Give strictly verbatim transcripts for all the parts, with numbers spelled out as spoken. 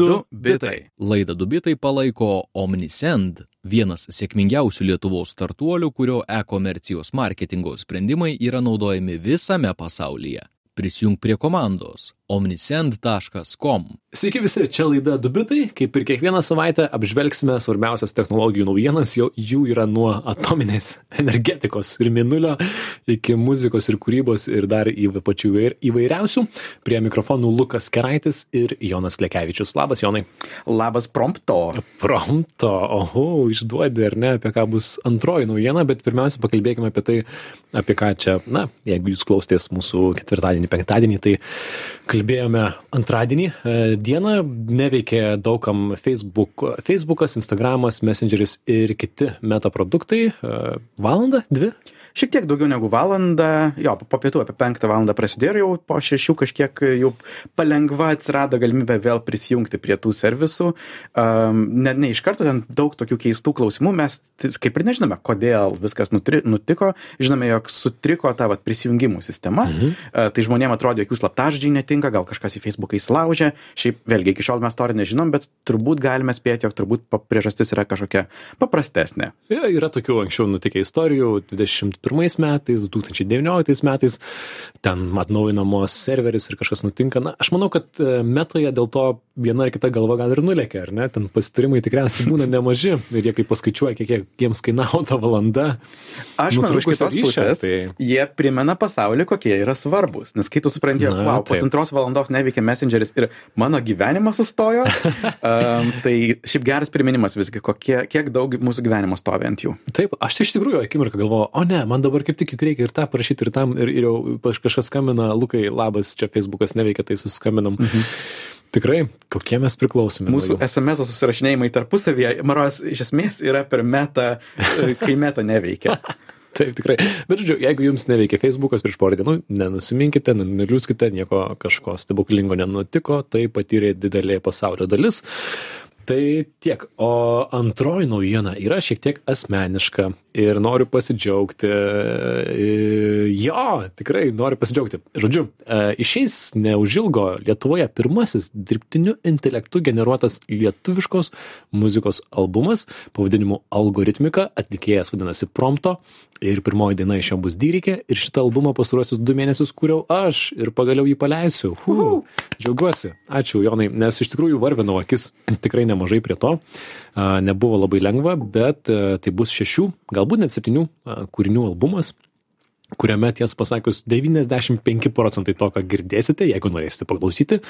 Du bitai. Laidą Du bitai palaiko Omnisend, vienas sėkmingiausių Lietuvos startuolių, kurio e-komercijos marketingo sprendimai yra naudojami visame pasaulyje. Prisijung prie komandos omnisend taškas com. Sveiki visi, čia laida Du bitai. Kaip ir kiekvieną savaitę apžvelgsime svarbiausias technologijų naujienas, jau jų yra nuo atominės energetikos ir mėnulio iki muzikos ir kūrybos ir dar į pačių įvairiausių. Prie mikrofonų Lukas Keraitis ir Jonas Lekevičius. Labas, Jonai. Labas, Prompto. Prompto, oho, išduodi ar ne, apie ką bus antroji naujiena, bet pirmiausia pakalbėkime apie tai, apie ką čia, na, jeigu jūs klausėtės mūsų ketvirtadienį, penktadienį, tai kalbėjome antradienį dieną, neveikė daugam Facebook, Facebookas, Instagramas, Messengeris ir kiti meta produktai. Valandą, dvi? Šiek tiek daugiau negu valandą, jo, po pietų apie penktą valandą prasidėjo ir jau po šešių kažkiek jau palengva atsirado galimybė vėl prisijungti prie tų servisų. Um, ne, ne iš karto ten daug tokių keistų klausimų, mes kaip ir nežinome, kodėl viskas nutri, nutiko, žinome, jog sutriko ta vat, prisijungimų sistema, mhm. uh, tai žmonėm atrodė, jog jų slaptažodžiai netinka, gal kažkas į Facebooką įsilaužė, šiaip vėlgi iki šiol mes to ir nežinom, bet turbūt galime spėti, jog turbūt priežastis yra kažkokia paprastesnė. Ja, yra tokių anksčiau nutikę istorijų, dvidešimt pirmais metais, du tūkstančiai devynioliktais metais, ten atnaujinamos serveris ir kažkas nutinka. Na, aš manau, kad metoje dėl to viena ar kita galva gal ir nulėkia, ar ne? Ten pasitarimai tikriausiai būna nemaži ir jie kai paskaičiuoja, kiek jiems kainavo ta valanda. Aš manau, iš kitos pusės, tai... jie primena pasaulį, kokie yra svarbus. Nes kai tu supranti, jog, wow, pusantros valandos neveikia Messengeris ir mano gyvenimas sustojo, um, tai šiaip geras priminimas visgi, kokie, kiek daug mūsų gyvenimo stovi ant jų. Taip, aš iš tikrųjų akimirką galvoju, o ne, man dabar kaip tik juk reikia ir tą parašyti ir tam, ir, ir jau kažkas skambina, Lukai, labas, čia Facebookas neveikia, tai suskambinam. Mhm. Tikrai, kokie mes priklausome. Mūsų es em es susirašinėjimai tarpusavyje, maros, iš esmės yra per metą, kai meta neveikia. Taip, tikrai. Bet, žodžiu, jeigu jums neveikia Facebookas prieš porą dienų, nenusiminkite, neliūskite, nieko kažko stebuklingo nenutiko, tai patyrė didelė pasaulio dalis. Tai tiek, o antroji naujiena yra šiek tiek asmeniška ir noriu pasidžiaugti. Jo, tikrai noriu pasidžiaugti. Žodžiu, išeis neužilgo Lietuvoje pirmasis dirbtiniu intelektu generuotas lietuviškos muzikos albumas pavadinimu Algoritmika, atlikėjas vadinasi Prompto ir pirmoji daina iš jo bus Dyrikė ir šitą albumą pastaruosius du mėnesius kūriau aš ir pagaliau jį paleisiu. Hu, džiaugiuosi. Ačiū, Jonai, nes iš tikrųjų varvinau akis tikrai nemažai prie to. Nebuvo labai lengva, bet tai bus šešių, galbūt net septynių kūrinių albumas, kuriame, tiesą pasakius, devyniasdešimt penki procentai to, ką girdėsite, jeigu norėsite paklausyti,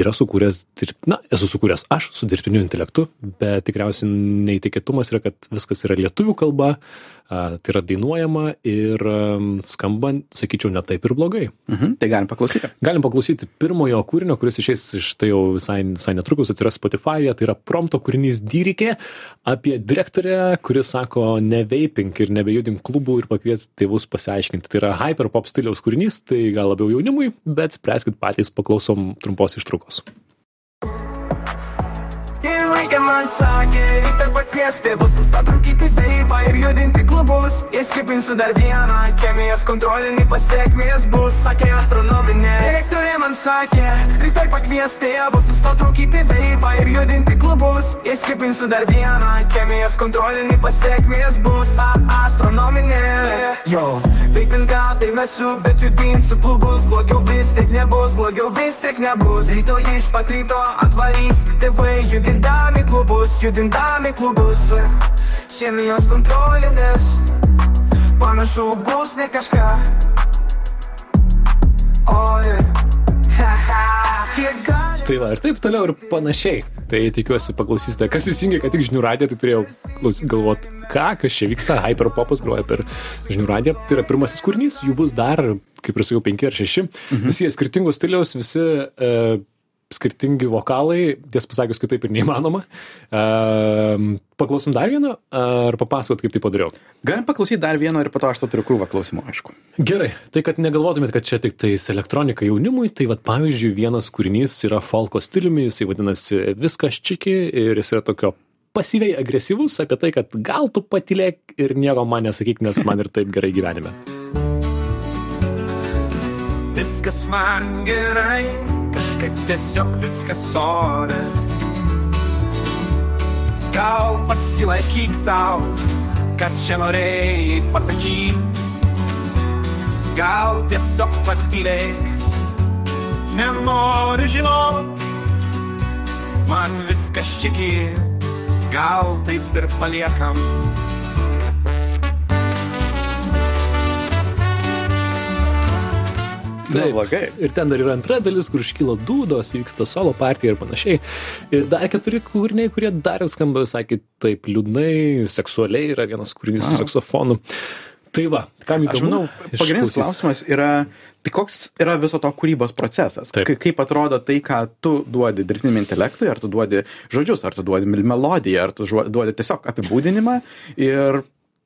yra sukūręs, na, esu sukūręs aš su dirbtiniu intelektu, bet tikriausiai neįtikėtumas yra, kad viskas yra lietuvių kalba, tai yra dainuojama ir skamba, sakyčiau, ne taip ir blogai. Mhm, tai galim paklausyti. Galim paklausyti pirmojo kūrinio, kuris išeis iš tai jau visai, visai netrukus atsiras Spotify'e, tai yra Prompto kūrinys Dyrikė apie direktorę, kuris sako neveipink ir nebejudink klubų ir pakvies tėvus pasiaiškinti. Tai yra hyperpop stiliaus kūrinys, tai gal labiau jaunimui, bet spręskit patys, paklausom trumpos ištraukos. Reikia man sakė, reikia pakviesti tėvus, nustot rūkyti veipą ir judinti klubus. Įskipinsiu dar vieną, chemijos kontrolinį pasiekmės bus, sakė astronominė. Direktorė man sakė, rytoj pakviesti tėvus, nustot rūkyti veipą ir judinti klubus. Įskipinsiu dar vieną, chemijos kontrolinį pasiekmės bus, astronominė. Jo, veipin gal tai mesiu, bet judinsiu klubus, blogiau vis tik nebus, blogiau vis tik nebus. Rytoj iš pat ryto atvarys tėvai judindami klubus, judindami klubus. Chemijos kontrolinės, panašu bus ne kažką. Oi, haha, kiek gali. Tai va, ir taip toliau ir panašiai. Tai tikiuosi paklausysite, kas įsijungė, kad tik žinių radiją, tai turėjau galvoti, ką, kas čia vyksta, hyperpopas groja per žinių radiją. Tai yra pirmasis kūrinys, jų bus dar, kaip ir sakiau, penki ar šeši. Mhm. Visi jie skirtingos stiliaus, visi e, skirtingi vokalai, tiesą pasakius, kitaip ir neįmanoma. E, paklausom dar vieną, ar papasakot, kaip tai padariau? Galim paklausyti dar vieną ir po to aš to turiu krūvą klausimų, aišku. Gerai, tai kad negalvotumėt, kad čia tik tais elektronika jaunimui, tai vat pavyzdžiui, vienas kūrinys yra folko stiliumi, jisai vadinasi Viskas čiki ir jis yra tokio pasyviai agresyvus apie tai, kad gal tu patylėk ir nieko man nesakyk, nes man ir taip gerai gyvenime. Viskas man gerai, kažkas kažkaip tiesiog viskas ore. Gal pasilaikyk savo, kad čia norėjai pasakyt. Gal tiesiog patylėk, nenoriu žinot, man viskas čiki, gal taip ir paliekam. Taip, ir ten dar yra antra dalis, kur iškyla dūdos, vyksta solo partija ir panašiai. Ir dar keturi kūriniai, kurie dar skamba visai taip liūdnai, seksualiai, yra vienas kūrinys su saksofonu. Tai va, kam įdomu? Aš manau, pagrindinis klausimas yra, tai koks yra viso to kūrybos procesas? Taip. Kaip atrodo tai, ką tu duodi dirbtiniam intelektui, ar tu duodi žodžius, ar tu duodi melodiją, ar tu duodi tiesiog apibūdinimą ir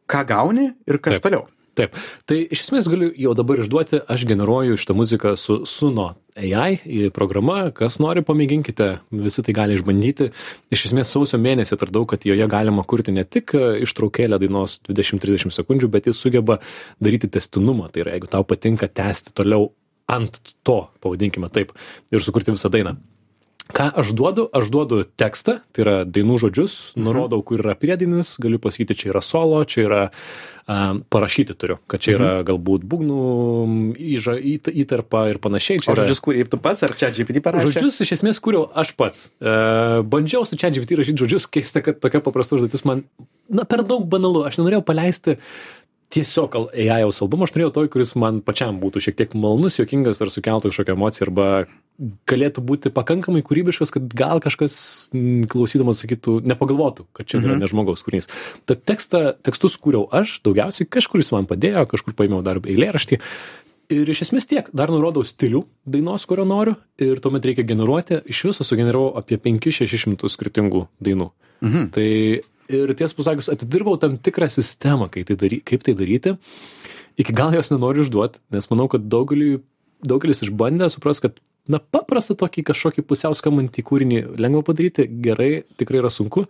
ką gauni ir kas Taip. Toliau. Taip, tai iš esmės galiu jau dabar išduoti, aš generuoju šitą muziką su Suno A I programa, kas nori pamėginkite, visi tai gali išbandyti. Iš esmės sausio mėnesį atradau, kad joje galima kurti ne tik ištraukėlę dainos dvidešimt trisdešimt sekundžių, bet jis sugeba daryti testinumą, tai yra jeigu tau patinka tęsti toliau ant to, pavadinkime taip, ir sukurti visą dainą. Ką aš duodu? Aš duodu tekstą, tai yra dainų žodžius, nurodau, kur yra priedainis, galiu pasakyti, čia yra solo, čia yra um, parašyti turiu, kad čia yra mhm. galbūt būgnų įža, įt, įtarpa ir panašiai. Čia o žodžius yra... kūrėjai tu pats, ar ChatGPT parašė? Žodžius iš esmės kūriau aš pats. Uh, bandžiau su ChatGPT rašyti žodžius, keista, kad tokia paprasta užduotis man, na, per daug banalu. Aš nenorėjau paleisti tiesiog A I-aus albumą, aš norėjau toj, kuris man pačiam būtų šiek tiek malonus, juokingas ar sukeltų kažkokią emociją, arba galėtų būti pakankamai kūrybiškas, kad gal kažkas klausydamas sakytų, nepagalvotų, kad čia yra ne žmogaus kūrinys. Tad tekstą, tekstus kūriau aš, daugiausiai kažkur jis man padėjo, kažkur paėmiau dar eilėraštį. Ir iš esmės tiek, dar nurodau stilių dainos, kurio noriu, ir tuomet reikia generuoti, iš viso sugeneravau apie penkis šešis šimtus skirtingų dainų. Mhm. Tai ir tiesą pasakius, atidirbau tam tikrą sistemą, kaip tai, dary, kaip tai daryti. Iki gal jos nenoriu išduoti, nes manau, kad daugelį, daugelis išbandė supras, kad na, paprastą tokį kažkokį pusiau skambantį kūrinį lengva padaryti, gerai, tikrai yra sunku.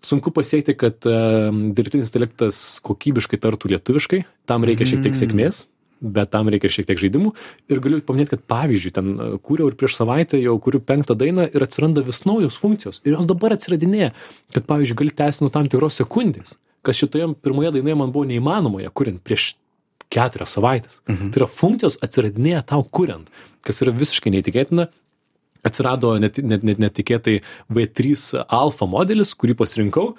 Sunku pasiekti, kad um, dirbtinis intelektas kokybiškai tartų lietuviškai, tam reikia šiek tiek sėkmės, bet tam reikia šiek tiek žaidimų. Ir galiu paminėti, kad pavyzdžiui, ten kūriau ir prieš savaitę jau kuriu penktą dainą ir atsiranda vis naujos funkcijos. Ir jos dabar atsiradinėja, kad pavyzdžiui, gali tęsti nuo tam tikros sekundės, kas šitoje pirmoje dainoje man buvo neįmanomoje, kuriant prieš keturias savaitės. Mhm. Tai yra funkcijos atsiradinėja tau kuriant, kas yra visiškai neįtikėtina. Atsirado net, net, net, netikėtai V trys alfa modelis, kurį pasirinkau,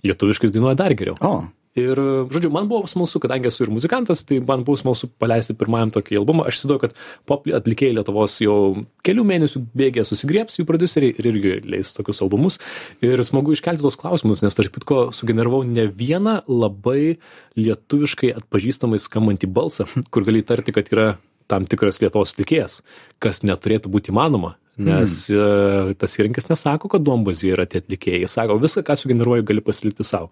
lietuviškai dainuoja dar geriau. O. Ir, žodžiu, man buvo smalsu, kadangi esu ir muzikantas, tai man buvo smalsu paleisti pirmajam tokį albumą. Aš įsivaizduoju, kad pop atlikėjai Lietuvos jau kelių mėnesių bėgė susigriebs jų prodiuseriai ir irgi leis tokius albumus. Ir smagu iškelti tos klausimus, nes tarp kitko sugeneravau ne vieną labai lietuviškai atpažįstamai skambantį balsą, kur gali įtarti, kad yra tam tikras Lietuvos atlikėjas, kas neturėtų būti įmanoma. Nes mm. tas įrankis nesako, kad duombazėje yra tie atlikėjai. Jis sako, viską, ką sugeneruoju, gali pasilikti savo.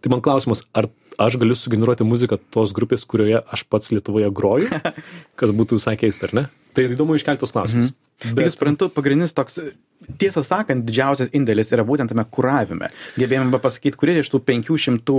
Tai man klausimas, ar aš galiu sugeneruoti muziką tos grupės, kurioje aš pats Lietuvoje groju, kas būtų visai keista, ar ne? Tai įdomu iškeltos klausimus. Mm. Bet aš suprantu, pagrindinis toks, tiesą sakant, didžiausias indėlis yra būtent tame kuravime. Gebėjome pasakyti, kurie iš tų penkių šimtų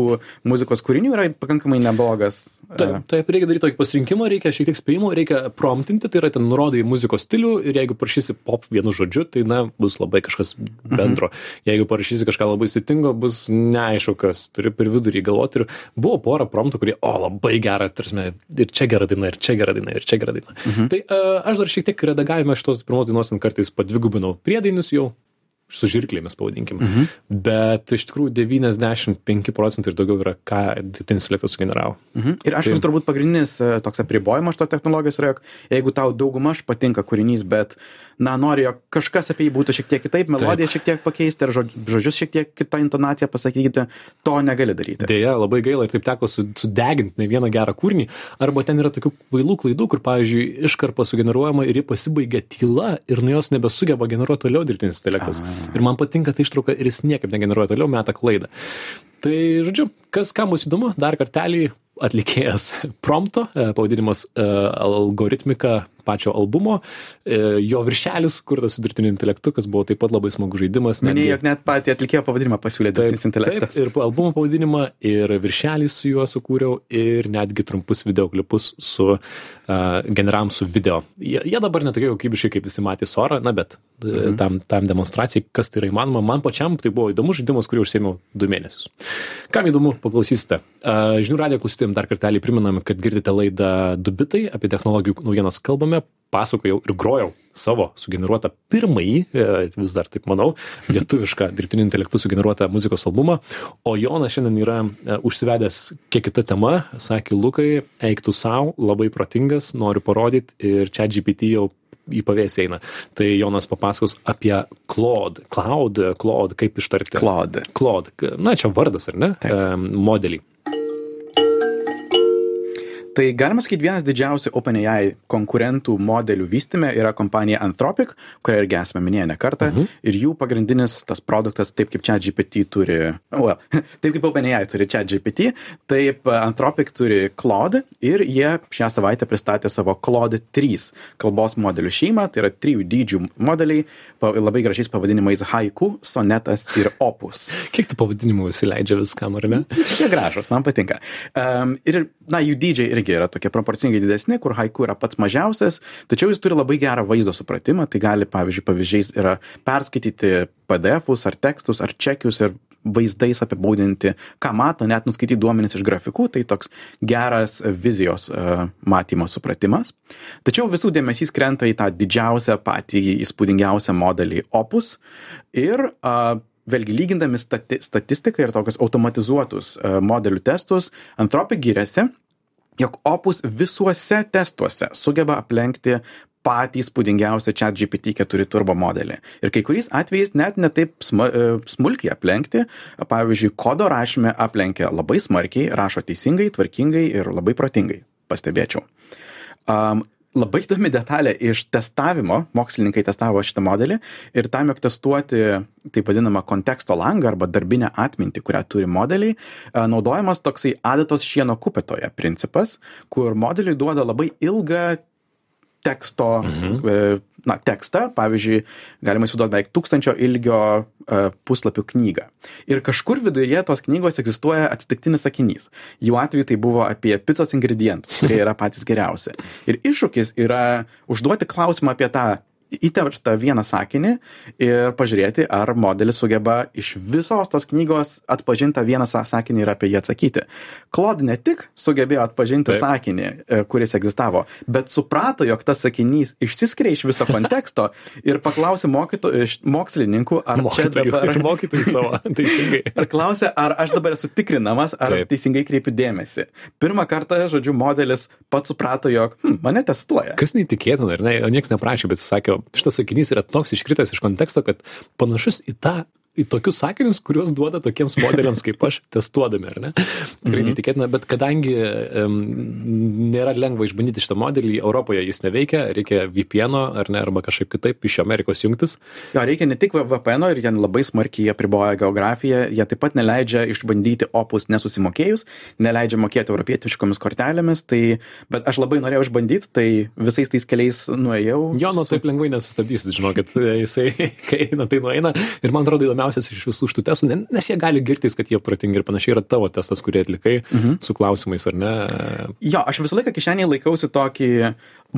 muzikos kūrinių yra pakankamai neblogas. Taip, taip, reikia daryti tokį pasirinkimą, reikia šiek tiek spėjimo, reikia promptinti, tai yra ten nurodai muzikos stilių ir jeigu parašysi pop vienu žodžiu, tai na, bus labai kažkas bendro. Mhm. Jeigu parašysi kažką labai sudėtingo, bus neaišku, kas turi per vidurį galvoti. Ir buvo pora promptų, kurie, o, labai gera, tarsi, ir čia gera daina, ir čia gera daina, ir čia gera daina. Mhm. Tai uh, aš dar šiek tiek redagavime šitos pirmos dainos kartais padvigubinau priedainius jau, su žirklėmis pavadinkime. Mhm. Bet iš tikrųjų devyniasdešimt penki procentai ir daugiau yra, ką dirbtinis intelektas sugeneravo. Mhm. Ir aš tai... turbūt pagrindinis toks apribojimas šitos technologijos yra, jog jeigu tau daugumaž patinka kūrinys, bet na, nori, jog kažkas apie jį būtų šiek tiek kitaip, melodiją šiek tiek pakeisti ir žodžius šiek tiek kitą intonaciją pasakyti, to negali daryti. Deja, labai gaila ir taip teko sudeginti ne vieną gerą kūrinį, arba ten yra tokių kvailų klaidų, kur, pavyzdžiui, iškarpa sugeneruojama ir ji pasibaigia tyla ir nuo jos nebesugeba generuoti toliau dirbtinis intelektas. A. Ir man patinka ta ištrauka ir jis niekaip negeneruoja toliau, meta klaidą. Tai, žodžiu, kas kam bus įdomu, dar kartelį atlikėjas prompto, pavadinimas algoritmika pačio albumo, jo viršelis kurtas su dirbtiniu intelektu, kas buvo taip pat labai smagus žaidimas. Minėjai, jog net patį atlikėjo pavadinimą pasiūlė dirbtinis intelektas. Taip, ir albumo pavadinimą, ir viršelį su juo sukūriau, ir netgi trumpus videoklipus su uh, generavom su video. Jie, jie dabar netokie kokybiškai, kaip visi matė Sora, na bet mhm. tam, tam demonstracijai, kas tai yra įmanoma. Man pačiam tai buvo įdomus žaidimas, kurį užsiėmiau du mėnesius. Kam įdomu, paklausysite. Uh, Žinių radijo klausytojams dar kartelį priminame, kad girdite laidą Du bitai, apie technologijų naujienas kalbame, pasakojau ir grojau savo sugeneruotą pirmąjį, vis dar taip manau, lietuvišką dirbtiniu intelektu sugeneruotą muzikos albumą, o Jonas šiandien yra užsivedęs kiek kita tema, sakė Lukai, eik tu sau, labai protingas, noriu parodyti ir ChatGPT jau į pavėsį eina. Tai Jonas papasakos apie Claude, Claude, Claude, kaip ištarti? Claude. Claude, na čia vardas, ar ne? Taip. Modelį. Tai galima sakyti, vienas didžiausių OpenAI konkurentų modelių vystyme yra kompanija Anthropic, kurią irgi esame minėję ne kartą, uh-huh. ir jų pagrindinis tas produktas, taip kaip ChatGPT turi, well, taip kaip OpenAI turi ChatGPT, taip Anthropic turi Claude ir jie šią savaitę pristatė savo Claude trys kalbos modelių šeimą, tai yra trijų dydžių modeliai, labai gražiais pavadinimais Haiku, Sonetas ir Opus. Kiek tų pavadinimų įsileidžia viskam, ar ne? Šie gražus, man patinka. Um, ir, na, jų dydžiai irgi yra tokie proporcingai didesni, kur Haiku yra pats mažiausias, tačiau jis turi labai gerą vaizdo supratimą, tai gali, pavyzdžiui, pavyzdžiais yra perskaityti P D F-us ar tekstus ar čekius ir vaizdais apibūdinti, ką mato, net nuskaityti duomenis iš grafikų, tai toks geras vizijos uh, matymo supratimas. Tačiau visų dėmesys krenta į tą didžiausią, patį įspūdingiausią modelį Opus ir uh, vėlgi lygindami stati statistiką ir tokius automatizuotus uh, modelių testus, Anthropic giriasi, jog Opus visuose testuose sugeba aplenkti patį įspūdingiausią ChatGPT keturi turbo modelį. Ir kai kuriais atvejais net netaip sma, smulkiai aplenkti, pavyzdžiui, kodo rašyme aplenkia labai smarkiai, rašo teisingai, tvarkingai ir labai protingai, pastebėčiau. Um, Labai įdomi detalė iš testavimo, mokslininkai testavo šitą modelį ir tam, jog testuoti taip vadinamą konteksto langą arba darbinę atmintį, kurią turi modeliai, naudojamas toksai adatos šieno kupetoje principas, kur modeliui duoda labai ilgą teksto, mhm. na, tekstą, pavyzdžiui, galima įsivaizduoti beveik tūkstančio ilgio uh, puslapių knygą. Ir kažkur viduje tos knygos egzistuoja atsitiktinis sakinys. Jų atveju tai buvo apie picos ingredientus, kurie yra patys geriausi. Ir iššūkis yra užduoti klausimą apie tą įterptą vieną sakinį ir pažiūrėti, ar modelis sugeba iš visos tos knygos atpažinti vieną sakinį ir apie jį atsakyti. Claude ne tik sugebėjo atpažinti Taip. sakinį, kuris egzistavo, bet suprato, jog tas sakinys išsiskiria iš viso konteksto ir paklausė mokslininkų, ar mokytojų, čia dabar... Ir mokytojų savo, teisingai. Ar klausė, ar aš dabar esu tikrinamas, ar Taip. teisingai kreipiu dėmesį. Pirmą kartą, žodžiu, modelis pats suprato, jog hm, mane testuoja. Kas neįtikėtina, ar ne? Niekas neprašė, bet jis sakė, šitas sakinys yra toks iškritęs iš konteksto, kad panašus į tą, į tokius sakinius, kuriuos duoda tokiems modeliams kaip aš testuodami, ar ne? Tikrai mm-hmm. neįtikėtina, bet kadangi um, nėra lengva išbandyti šitą modelį, Europoje jis neveikia, reikia V P N-o, ar ne, arba kažkaip kitaip iš Amerikos jungtis. Jo, reikia ne tik V P N-o ir jie labai smarkiai apriboja geografiją, jie taip pat neleidžia išbandyti Opus nesusimokėjus, neleidžia mokėti europietiškomis kortelėmis, tai, bet aš labai norėjau išbandyti, tai visais tais keliais nuėjau. Jo, nu su... taip lengvai nesustabdysit, žinokit, jisai, kai eina, tai nueina. Ir man atrodo įdomiausias iš visų šitų testų, nes jie gali girtis, kad jie protingi ir panašiai yra tavo testas, kurį atlikai mhm. su klausimais, ar ne? Jo, aš visą laiką kišenėje laikausi tokį,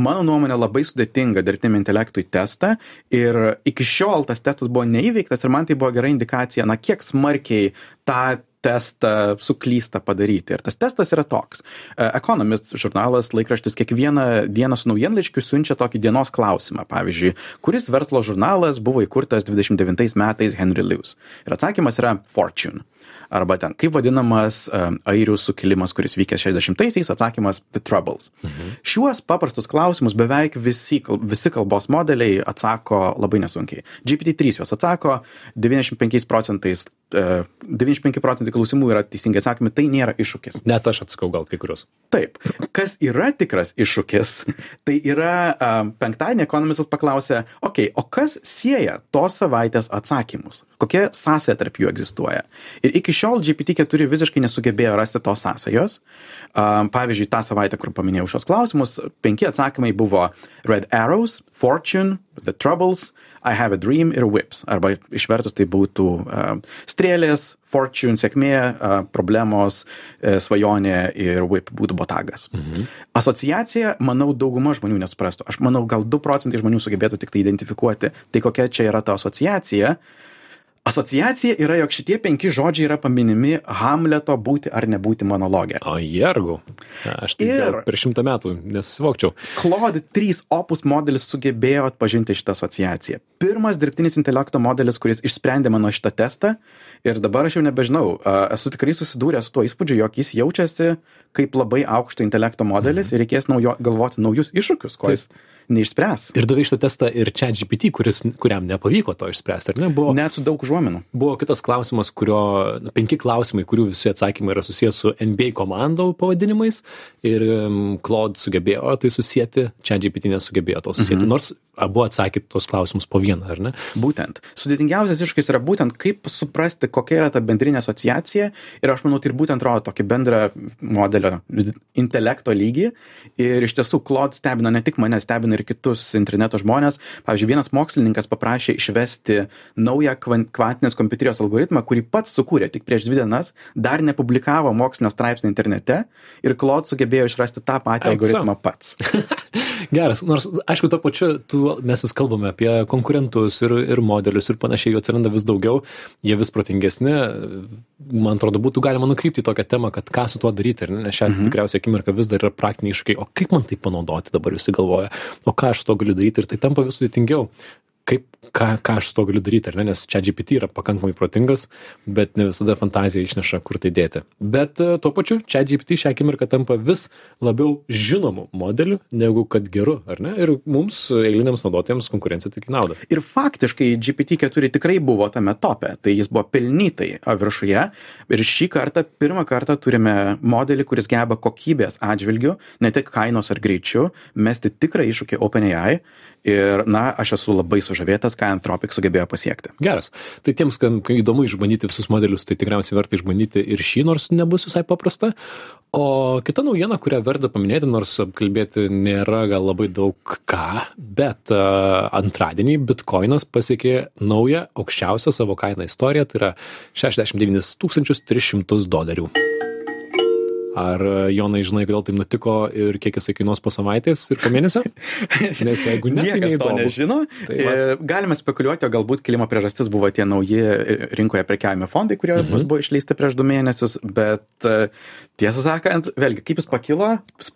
mano nuomonė, labai sudėtingą dirbtiniam intelektui testą ir iki šiol tas testas buvo neįveiktas ir man tai buvo gera indikacija, na kiek smarkiai tą testą suklysta padaryti. Ir tas testas yra toks. Economist žurnalas, laikraštis kiekvieną dieną su naujienlaiškiu siunčia tokį dienos klausimą. Pavyzdžiui, kuris verslo žurnalas buvo įkurtas dvidešimt devintais metais Henry Lewis. Ir atsakymas yra Fortune. Arba ten, kaip vadinamas um, airių sukilimas, kuris vykęs šešiasdešimtaisiais, atsakymas The Troubles. Mhm. Šiuos paprastus klausimus beveik visi, visi kalbos modeliai atsako labai nesunkiai. G P T trys juos atsako devyniasdešimt penkiais procentais devyniasdešimt penki procentai klausimų yra teisingai atsakymai, tai nėra iššūkis. Net aš atsakau gal kai kurios. Taip. Kas yra tikras iššūkis, tai yra um, penktadienį ekonomistas paklausė, okei, okay, o kas sieja tos savaitės atsakymus? Kokia sąsaja tarp jų egzistuoja? Ir iki šiol G P T keturi visiškai nesugebėjo rasti tos sąsajos. Um, pavyzdžiui, tą savaitę, kur paminėjau šios klausimus, penki atsakymai buvo Red Arrows, Fortune, The Troubles, I Have a Dream ir Whips. Arba išvertus tai būtų uh, strėlės, Fortune, sėkmė, uh, problemos, uh, svajonė ir Whip būtų botagas. Mhm. Asociacija, manau, dauguma žmonių nesuprastų. Aš manau, gal du procentai žmonių sugebėtų tik tai identifikuoti, tai kokia čia yra ta asociacija. Asociacija yra, jog šitie penki žodžiai yra paminimi Hamleto būti ar nebūti monologe. O jergu. Aš tai ir per šimtą metų nesivokčiau. Claude trys Opus modelis sugebėjo atpažinti šitą asociaciją. Pirmas dirbtinis intelekto modelis, kuris išsprendė mano šitą testą. Ir dabar aš jau nebežinau, esu tikrai susidūręs su tuo įspūdžiu, jog jis jaučiasi kaip labai aukšto intelekto modelis mm. ir reikės naujo, galvoti naujus iššūkius, ko jis neišspręs. Ir davai šitą testą ir ChatGPT, kuris, kuriam nepavyko to išspręsti, ar ne? Buvo, net su daug užuominų. Buvo kitas klausimas, kurio, penki klausimai, kurių visi atsakymai yra susijęs su N B A komandų pavadinimais ir um, Claude sugebėjo tai susijęti, ChatGPT nesugebėjo to susijęti, mhm. nors abu atsakė tos klausimus po vieną, ar ne? Būtent. Sudėtingiausias iššūkis yra būtent, kaip suprasti, kokia yra ta bendrinė asociacija ir aš manau, tai ir būtent rodo tokį bendrą modelio intelekto lygį ir iš tiesų Claude stebina ne tik mane, stebina ir kitus interneto žmonės. Pavyzdžiui, vienas mokslininkas paprašė išvesti naują kvantinės kompiuterijos algoritmą, kurį pats sukūrė tik prieš dvi dienas, dar nepublikavo mokslinio straipsnio internete ir Claude sugebėjo išrasti tą patį Eikso. algoritmą pats. Geras, nors aišku, to pačiu tu, mes vis kalbame apie konkurentus ir, ir modelius ir panašiai, jų atsiranda vis daugiau, jie vis protingesni. Man atrodo, būtų galima nukrypti į tokią temą, kad ką su tuo daryti, nes šią mhm. tikriausiai akimirką vis dar yra praktiniai iššūkiai, o kaip man tai panaudoti dabar visi galvoja, o ką aš su to galiu daryti ir tai tampa vis sudėtingiau. Kaip, ką, ką aš su to galiu daryti, ar ne? Nes ChatGPT yra pakankamai protingas, bet ne visada fantazija išneša, kur tai dėti. Bet uh, tuo pačiu ChatGPT šią akimirką tampa vis labiau žinomų modelių, negu kad geru, ar ne? Ir mums, eiliniams naudotojams, konkurencija tik nauda. Ir faktiškai G P T keturi tikrai buvo tame tope, tai jis buvo pelnytai viršuje. Ir šį kartą, pirmą kartą turime modelį, kuris geba kokybės atžvilgių, ne tik kainos ar greičiu, mesti tikrą iššūkį OpenAI. Ir, na, aš esu labai sužavėtas, ką Anthropic sugebėjo pasiekti. Geras. Tai tiems, kam įdomu išbandyti visus modelius, tai tikriausiai verta išbandyti ir šį, nors nebus visai paprasta. O kita naujiena, kurią verta paminėti, nors apkalbėti nėra gal labai daug ką, bet uh, antradienį Bitcoinas pasiekė naują aukščiausią savo kainą istoriją, tai yra šešiasdešimt devynis tūkstančius tris šimtus dolerių. Ar, Jonai, žinai, kodėl taip nutiko ir kiek jisai kainuos po savaitės ir po mėnesio? Nes jeigu ne, niekas tai to nežino. Tai galime spekuliuoti, o galbūt kilimo priežastis buvo tie nauji rinkoje prekiavimo fondai, kurie mhm. buvo išleisti prieš du mėnesius, bet tiesą sakant, vėlgi, kaip jis pakilo,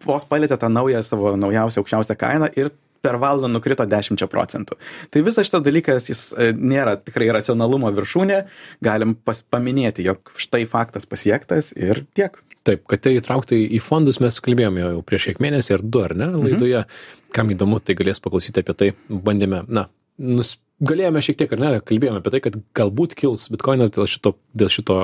vos palėtė tą naują savo naujausią aukščiausią kainą ir per valandą nukrito dešimt procentų. Tai visas šitas dalykas, jis nėra tikrai racionalumo viršūnė, galim pas, paminėti, jog štai faktas pasiektas ir tiek. Taip, kad tai įtrauktai į fondus mes kalbėjome jau prieš kiek mėnesį ar du, ar ne, laidoje. Mhm. Kam įdomu, tai galės paklausyti apie tai. Bandėme, na, nus, galėjome šiek tiek, ar ne, kalbėjome apie tai, kad galbūt kils Bitcoinas dėl šito, dėl šito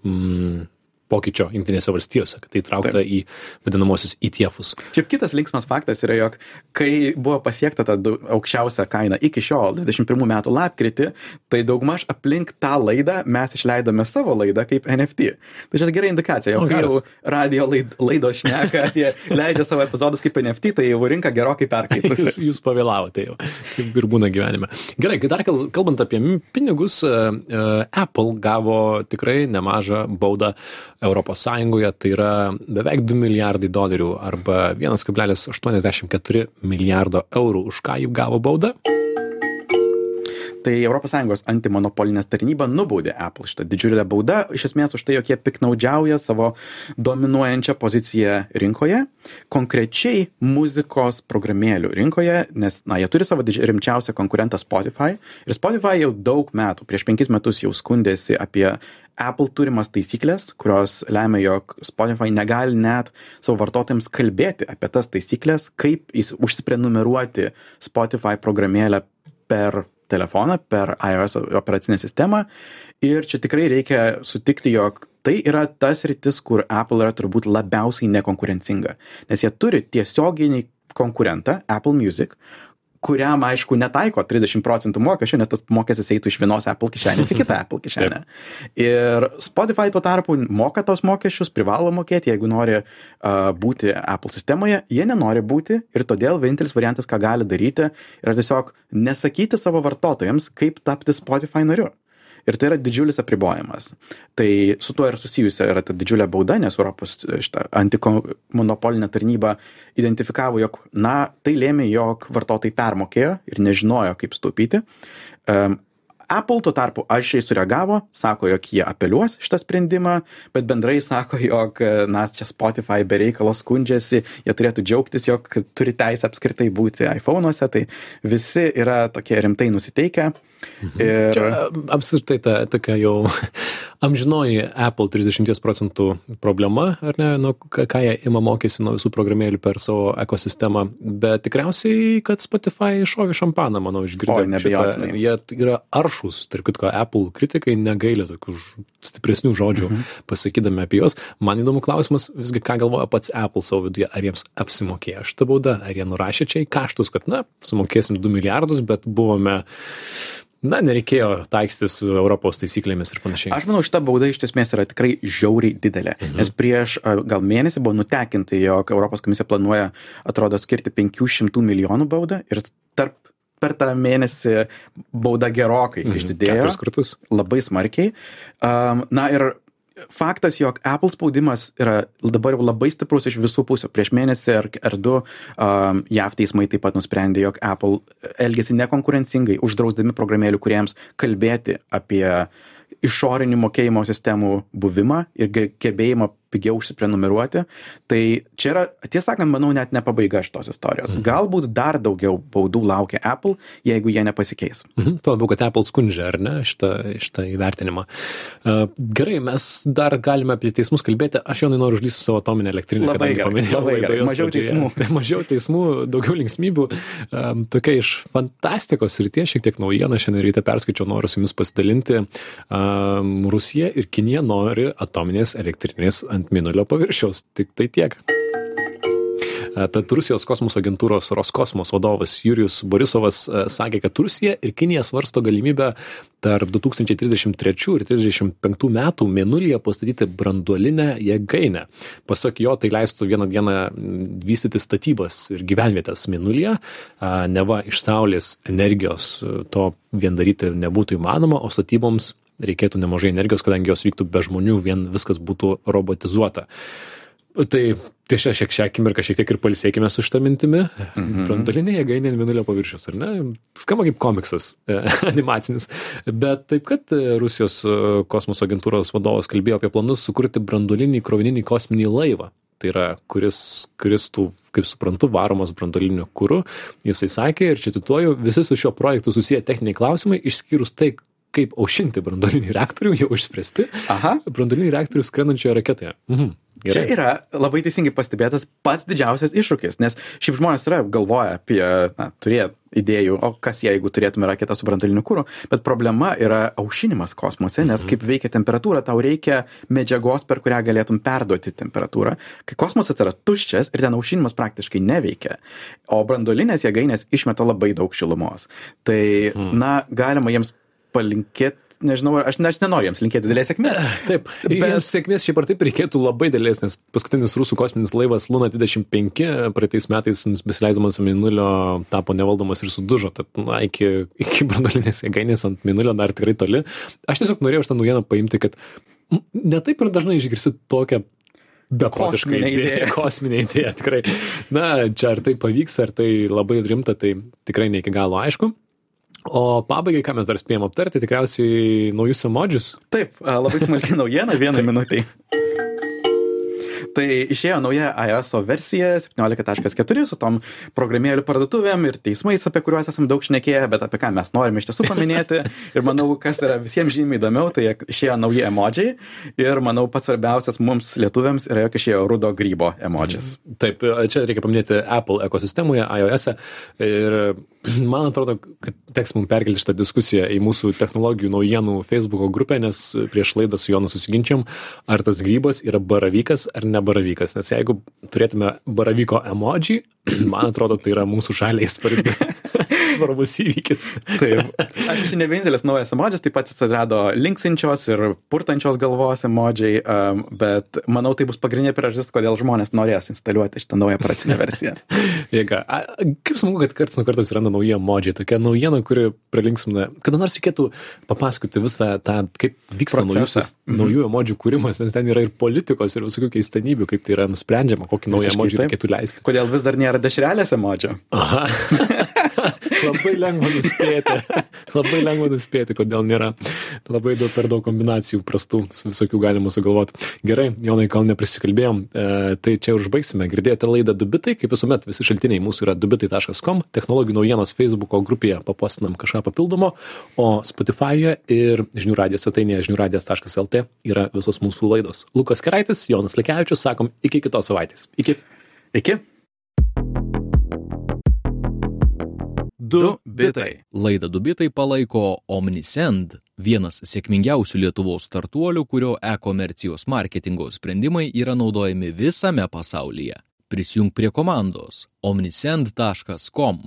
mm, pokyčio Jungtinėse valstijose, kad tai traukta Taip. Į vadinamosius E T F'us. Šiaip kitas linksmas faktas yra, jog kai buvo pasiekta ta aukščiausia kaina iki šiol, dvidešimt pirmų metų lapkritį, tai daugmaž aplink tą laidą mes išleidome savo laidą kaip N F T. Tai čia gera indikacija, jog kai jau radio laid, laidos šneka apie leidžia savo epizodus kaip N F T, tai jau rinka gerokai perkaitusi. jūs, jūs pavėlavote jau, kaip ir būna gyvenime. Gerai, dar kalbant apie pinigus, Apple gavo tikrai nemažą baudą Europos Sąjungoje, tai yra beveik du milijardai dolerių arba vienas kablelis aštuoniasdešimt keturi milijardo eurų. Už ką jų gavo baudą? Tai Europos Sąjungos antimonopolinės tarnyba nubaudė Apple šitą didžiulę baudą, iš esmės už tai, jog jie piknaudžiauja savo dominuojančią poziciją rinkoje, konkrečiai muzikos programėlių rinkoje, nes, na, jie turi savo rimčiausią konkurentą Spotify ir Spotify jau daug metų, prieš penkis metus jau skundėsi apie Apple turimas taisyklės, kurios lemia, jog Spotify negali net savo vartotojams kalbėti apie tas taisyklės, kaip užsiprenumeruoti Spotify programėlę per telefoną, per iOS operacinę sistemą. Ir čia tikrai reikia sutikti, jog tai yra tas rytis, kur Apple yra turbūt labiausiai nekonkurencinga. Nes jie turi tiesioginį konkurentą, Apple Music, kuriam, aišku, netaiko trisdešimt procentų mokesčių, nes tas mokestis eitų iš vienos Apple kišenės į kitą Apple kišenę. Ir Spotify tuo tarpu moka tos mokesčius, privalo mokėti, jeigu nori uh, būti Apple sistemoje, jie nenori būti ir todėl vienintelis variantas, ką gali daryti, yra tiesiog nesakyti savo vartotojams, kaip tapti Spotify nariu. Ir tai yra didžiulis apribojimas. Tai su tuo ir susijusi yra ta didžiulė bauda, nes Europos šitą antimonopolinę tarnybą identifikavo, jog, na, tai lėmė, jog vartotojai permokėjo ir nežinojo, kaip staupyti. Um, Apple tuo tarpu aiškiai sureagavo, sako, jog jie apeliuos šitą sprendimą, bet bendrai sako, jog, na, čia Spotify be reikalo skundžiasi, jie turėtų džiaugtis, jog turi teisę apskritai būti iPhone'uose, tai visi yra tokie rimtai nusiteikę. Mhm. Ir... Čia apskritai ta tokia jau amžinoji Apple trisdešimt procentų problema, ar ne, nu, ką jie ima mokėsi nuo visų programėlių per savo ekosistemą, bet tikriausiai, kad Spotify iššovė šampaną, manau, išgirdė šitą. Jie yra aršus, tarp kitko, Apple kritikai negailė tokių stipresnių žodžių mhm. pasakydami apie juos. Man įdomu klausimas, visgi ką galvoja pats Apple savo viduje, ar jiems apsimokėjo šitą baudą, ar jie nurašė čia į kaštus, kad, na, sumokėsim du milijardus, bet buvome Na, nereikėjo taikstytis su Europos taisyklėmis ir panašiai. Aš manau, šita bauda iš esmės yra tikrai žiauriai didelė, mhm. nes prieš gal mėnesį buvo nutekinta, jog Europos komisija planuoja, atrodo, skirti penkių šimtų milijonų baudą ir tarp, per tą mėnesį bauda gerokai mhm. išdidėjo. Keturis kartus. Labai smarkiai. Um, na ir faktas, jog Apple spaudimas yra dabar jau labai stiprus iš visų pusių. Prieš mėnesį ar, ar du um, J A V teismai taip pat nusprendė, jog Apple elgėsi nekonkurencingai, uždrausdami programėlių kuriems kalbėti apie išorinių mokėjimo sistemų buvimą ir gebėjimą pigiau užsiprenumeruoti. Tai čia yra, tiesą sakant, manau, net ne pabaiga šitos istorijos. Mhm. Galbūt dar daugiau baudų laukia Apple, jeigu jie nepasikeis. Mhm. Tuo labiau, kad Apple skundžia, ar ne, šitą, šitą įvertinimą. Uh, gerai, mes dar galime apie teismus kalbėti. Aš jau noriu užlysti savo atominę elektrinę. Labai gerai, labai gerai. Mažiau teismų. Mažiau teismų, daugiau linksmybių. Um, tokia iš fantastikos srities, šiek tiek naujiena, šiandien ryte perskaičiau, noriu su jumis pasidalinti. Um, Rusija ir Kinija nori atominės elektrinės ant mėnulio paviršiaus. Tik tai tiek. Tad Rusijos kosmoso agentūros Roskosmos vadovas Jurijus Borisovas sakė, kad Rusija ir Kinija svarsto galimybę tarp du tūkstančiai trisdešimt trečių ir trisdešimt penktų metų mėnulyje pastatyti branduolinę jėgainę. Pasak jo, tai leistų vieną dieną vystyti statybas ir gyvenvietės mėnulyje. Neva iš saulės energijos to vien daryti nebūtų įmanoma, o statyboms reikėtų nemažai energijos, kadangi jos vyktų be žmonių, vien viskas būtų robotizuota. Tai tiešia šiek šiek akimirką šiek tiek ir pailsėkime su šitą mintimi. Mm-hmm. Branduolinė jėgainė ant mėnulio paviršiaus, ar ne? Skamba kaip komiksas animacinis. Bet taip, kad Rusijos kosmoso agentūros vadovas kalbėjo apie planus sukurti branduolinį krovininį kosminį laivą. Tai yra, kuris kristų, kaip suprantu, varomas branduoliniu kuru. Jisai sakė, ir čia cituoju, visi su šio projektu susiję techniniai klausimai, išskyrus tai, kaip aušinti branduolinį reaktorių, jau išspręsti. Aha. Branduolinį reaktorių skrendančioje raketoje. Mhm. Gerai. Čia yra labai teisingai pastebėtas pats didžiausias iššūkis, nes šiaip žmonės yra galvoja apie, na, turėt idėjų, o kas jeigu turėtume raketą su branduoliniu kuru, bet problema yra aušinimas kosmose, nes mhm. kaip veikia temperatūra, tau reikia medžiagos, per kurią galėtum perduoti temperatūrą. Kai kosmosas yra tuščias ir ten aušinimas praktiškai neveikia, o branduolinės jėgainės išmeta labai daug šilumos. Tai, mhm. na, galima jiems palinkėti, nežinau, aš, aš nenoriu jiems linkėti didelės sėkmės. Taip, bet jiems sėkmės šiaip ar taip reikėtų labai didelės, nes paskutinis rusų kosminis laivas Luna dvidešimt penki praeitais metais besileisdamas ant mėnulio tapo nevaldomas ir sudužo, tad na, iki, iki branduolinės jėgainės ant mėnulio dar tikrai toli. Aš tiesiog norėjau šitą naujieną paimti, kad ne taip ir dažnai išgirsi tokią beprotiškai idėją, kosminę idėją, tikrai. Na, čia ar tai pavyks, ar tai labai rimta, tai tikrai ne iki galo aišku. O pabaigai, ką mes dar spėjom aptarti, tikriausiai naujus emodžius. Taip, labai smulki naujiena, vieną minutį. Tai išėjo nauja iOS versija septyniolika taškas keturi su tom programėlių parduotuvėm ir teismais, apie kuriuos esam daug šnekėję, bet apie ką mes norime iš tiesų paminėti. Ir manau, kas yra visiems žymiai įdomiau, tai išėjo nauji emodžiai. Ir manau, pats svarbiausias mums lietuviams yra, jog išėjo rudo grybo emodžis. Taip, čia reikia paminėti Apple ekosistemoje, iOS. Ir man atrodo, kad teks mums perkelti šitą diskusiją į mūsų technologijų naujienų Facebooko grupę, nes prieš laidą su Jonu susiginčiam, ar tas grybas yra baravykas ar ne baravykas. Nes jeigu turėtume baravyko emoji, man atrodo, tai yra mūsų šaliai svarbi. svarbus įvykis. Taip. Aš esi ne vienintelis naujas emodžis, taip pat atsirado linksinčios ir purtančios galvos emodžiai, um, bet manau, tai bus pagrindinė priežastis, kodėl žmonės norės instaliuoti šitą naują operacinę versiją. Jėga. A, kaip smagu, kad karts nuo karto atsiranda nauji emodžiai, tokia naujiena, kuri pralinksmina. Kada nors reikėtų papasakoti visą tą, kaip vyksta naujus, mm-hmm. naujų emodžių kūrimas, nes ten yra ir politikos, ir visokių keistanybių, kaip tai yra nusprendžiama, kokį naują emodžį reikėtų leisti. Kodėl vis dar nėra dešrelės emodžio? Aha. Labai lengva nuspėti. Labai lengva nuspėti, kodėl nėra. Labai daug, per daug kombinacijų prastų visokių galima sugalvoti. Gerai, Jonai, kol neprisikalbėjom, e, tai čia užbaigsime. Girdėjote laidą Dubitai, kaip visuomet visi šaltiniai mūsų yra dubitai taškas com, technologijų naujienos Facebooko grupėje papostinam kažką papildomo, o Spotify'e ir žinių radijos svetainėje žinių radijas taškas lt yra visos mūsų laidos. Lukas Keraitis, Jonas Lekevičius, sakom iki kitos savaitės. Iki. Iki. Du bitai. Laidą Du bitai palaiko Omnisend, vienas sėkmingiausių Lietuvos startuolių, kurio e-komercijos marketingo sprendimai yra naudojami visame pasaulyje. Prisijunk prie komandos omnisend taškas com.